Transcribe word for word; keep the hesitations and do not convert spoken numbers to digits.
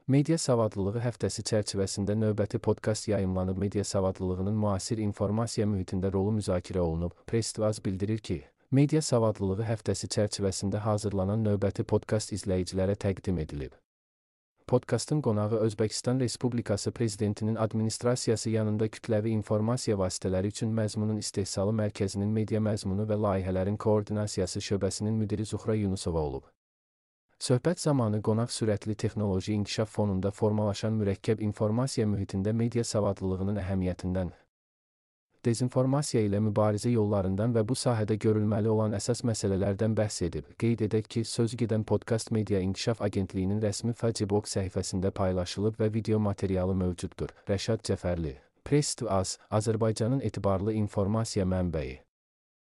Media savadlılığı həftəsi çərçivəsində növbəti podkast yayımlanıb. Media savadlılığının müasir informasiya mühitində rolu müzakirə olunub. Press-Tv bildirir ki, media savadlılığı həftəsi çərçivəsində hazırlanan növbəti podkast izləyicilərə təqdim edilib. Podkastın qonağı Özbəkistan Respublikası Prezidentinin Administrasiyası yanında kütləvi informasiya vasitələri üçün məzmunun istehsalı mərkəzinin media məzmunu və layihələrin koordinasiyası şöbəsinin müdiri Zuhra Yunusova olub. Söhbət zamanı qonaq sürətli texnoloji inkişaf fonunda formalaşan mürəkkəb informasiya mühitində media savadlılığının əhəmiyyətindən, dezinformasiya ilə mübarizə yollarından və bu sahədə görülməli olan əsas məsələlərdən bəhs edib. Qeyd edək ki, sözü gedən podkast Media İnkişaf Agentliyinin rəsmi Facebook səhifəsində paylaşılıb və video materialı mövcuddur. Rəşad Cəfərli, Press-Tv, Azərbaycanın etibarlı informasiya mənbəyi.